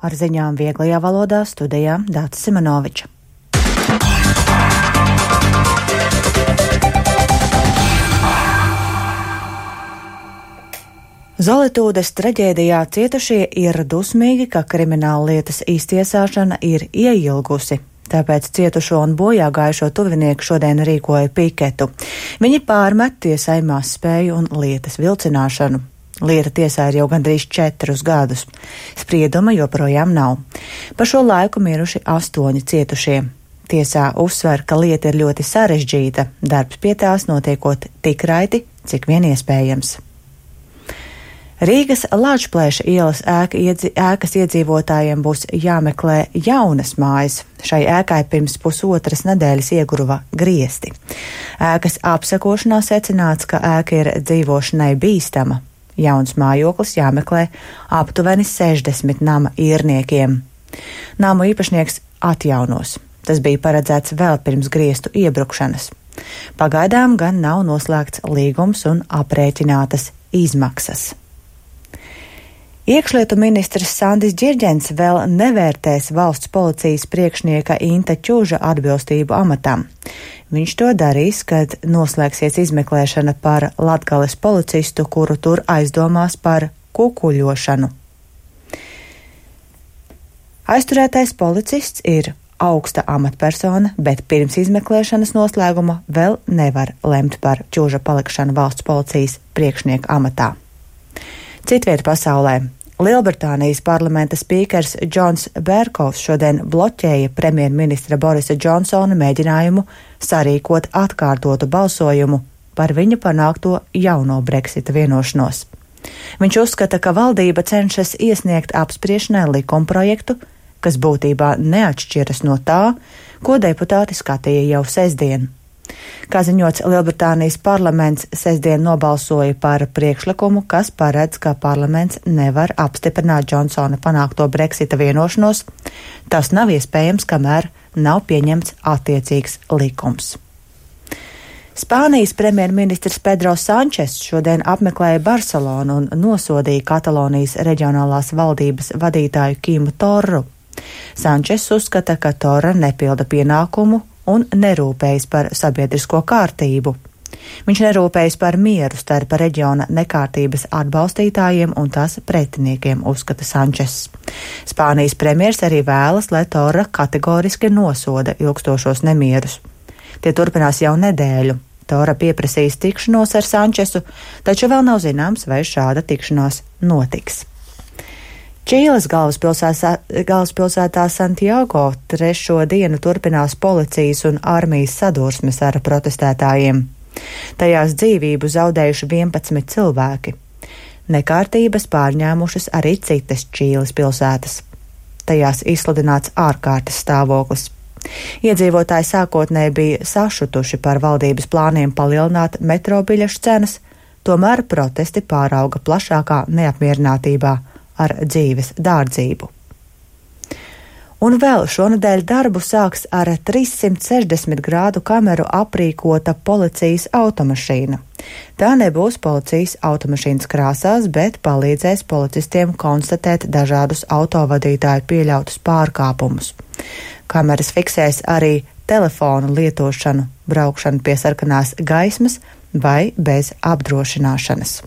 ar ziņām vieglajā valodā studijā Dācis Simonovičs. Zolitūdes traģēdijā cietušie ir dusmīgi, ka krimināllietas iztiesāšana ir ieilgusi. Tāpēc cietušo un bojā gājušo tuvinieku šodien rīkoja piketu. Viņi pārmet tiesai mazspēju un lietas vilcināšanu. Lieta tiesā ir jau gandrīz 4 gadus. Sprieduma joprojām nav. Pa šo laiku miruši 8 cietušie. Tiesā uzsver, ka lieta ir ļoti sarežģīta, darbs pie tās notiekot tik raiti, cik vien iespējams. Rīgas Lāčplēša ielas ēkas iedzīvotājiem būs jāmeklē jaunas mājas. Šai ēkai pirms pusotras nedēļas ieguva griesti. Ēkas apsekošanā secināts, ka ēka ir dzīvošanai bīstama. Jauns mājoklis jāmeklē aptuveni 60 nama īrniekiem. Namu īpašnieks atjaunos. Tas bija paredzēts vēl pirms griestu iebrukšanas. Pagaidām gan nav noslēgts līgums un aprēķinātas izmaksas. Iekšlietu ministrs Sandis Ģirģents vēl nevērtēs valsts policijas priekšnieka Inta Ķuža atbilstību amatam. Viņš to darīs, kad noslēgsies izmeklēšana par Latgales policistu, kuru tur aizdomās par kukuļošanu. Aizturētais policists ir augsta amatpersona, bet pirms izmeklēšanas noslēguma vēl nevar lemt par Ķuža palikšanu valsts policijas priekšnieka amatā. Citvieta pasaulē. Lielbritānijas parlamenta spīkers Džons Bērkovs šodien bloķēja premjerministra Borisa Džonsona mēģinājumu sarīkot atkārtotu balsojumu par viņa panākto jauno Brexita vienošanos. Viņš uzskata, ka valdība cenšas iesniegt apspriešanai likumprojektu, kas būtībā neatšķiras no tā, ko deputāti skatīja jau sestdien. Kā ziņots, Lielbritānijas parlaments sestdien nobalsoja par priekšlikumu, kas paredz, ka parlaments nevar apstiprināt Džonsona panākto Brexita vienošanos. Tas nav iespējams, kamēr nav pieņemts attiecīgs likums. Spānijas premjerministrs Pedro Sančes šodien apmeklēja Barcelonu un nosodīja Katalonijas reģionālās valdības vadītāju Quimu Torru. Sančes uzskata, ka Torra nepilda pienākumu un nerūpējas par sabiedrisko kārtību. Viņš nerūpējas par mieru starp reģiona nekārtības atbalstītājiem un tās pretiniekiem, uzskata Sančes. Spānijas premjers arī vēlas, lai Torra kategoriski nosoda ilgstošos nemierus. Tie turpinās jau nedēļu. Torra pieprasīs tikšanos ar Sančesu, taču vēl nav zināms, vai šāda tikšanās notiks. Čīles galvaspilsētā Santiago 3. dienu turpinās policijas un armijas sadursmes ar protestētājiem. Tajās dzīvību zaudējuši 11 cilvēki. Nekārtības pārņēmušas arī citas Čīles pilsētas. Tajās izsludināts ārkārtas stāvoklis. Iedzīvotāji sākotnēji bija sašutuši par valdības plāniem palielināt metro biļešu cenas, tomēr protesti pārauga plašākā neapmierinātībā ar dzīves dārdzību. Un vēl šonedēļ darbu sāks ar 360 grādu kameru aprīkota policijas automašīna. Tā nebūs policijas automašīnas krāsās, bet palīdzēs policistiem konstatēt dažādus autovadītāju pieļautus pārkāpumus. Kameras fiksēs arī telefonu lietošanu, braukšanu pie sarkanās gaismas vai bez apdrošināšanas.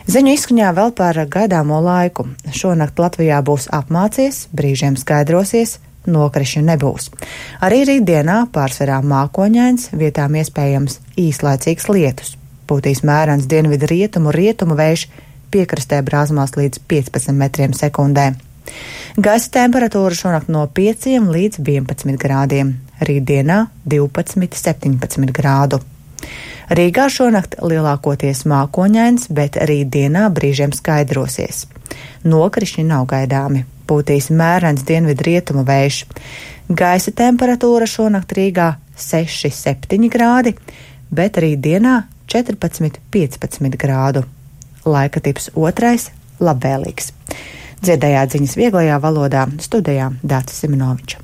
Ziņu izskaņā vēl par gaidāmo laiku. Šonakt Latvijā būs apmācies, brīžiem skaidrosies, nokrišņu nebūs. Arī rītdienā pārsvarā mākoņains, vietām iespējams īslaicīgs lietus. Pūtīs mērens dienvidu rietumu vējš, piekrastē brāzmās līdz 15 metriem sekundē. Gaisa temperatūra šonakt no 5 līdz 11 grādiem, rītdienā 12–17 grādu. Rīgā šonakt lielākoties mākoņains, bet rītdienā brīžiem skaidrosies. Nokrišņi nav gaidāmi, pūtīs mērens dienvidu rietumu vējš. Gaisa temperatūra šonakt Rīgā 6–7 grādi, bet rītdienā 14–15 grādu. Laika tips 2. labvēlīgs. Dzirdējāt ziņas vieglajā valodā, studijā Dācis Simonovičs.